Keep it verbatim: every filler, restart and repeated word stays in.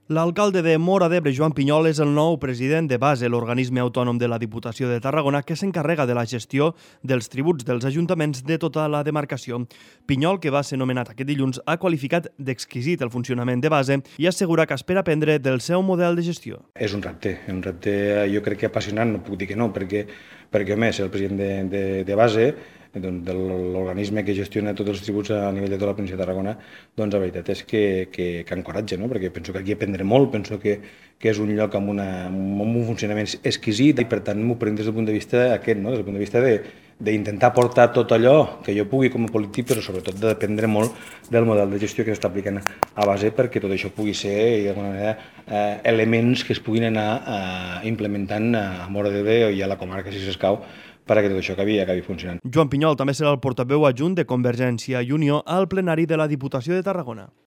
L'alcalde de Móra d'Ebre, Joan Pinyol, és el nou president de Base, l'organisme autònom de la Diputació de Tarragona que s'encarrega de la gestió dels tributs dels ajuntaments de tota la demarcació. Pinyol, que va ser nomenat aquest dilluns, ha qualificat d'exquisit el funcionament de Base i assegura que espera aprendre del seu model de gestió. És un repte, un repte jo crec que apassionant, no puc dir que no, perquè, perquè a més, el president de, de, de Base, doncs, de l'organisme que gestiona tots els tributs a nivell de tota la província de Tarragona, doncs la veritat és que, que, que encoratja, no? Perquè penso que aquí aprendré molt, penso que, que és un lloc amb, una, amb un funcionament exquisit i per tant m'ho prenc des del punt de vista aquest, no? Des del punt de vista de d'intentar portar tot allò que jo pugui com a polític, però sobretot de dependre molt del model de gestió que s'està aplicant a Base perquè tot això pugui ser d'alguna manera eh, elements que es puguin anar eh, implementant a Móra d'Ebre i a la comarca si s'escau perquè tot això acabi, acabi funcionant. Joan Pinyol també serà el portaveu adjunt de Convergència i Unió al plenari de la Diputació de Tarragona.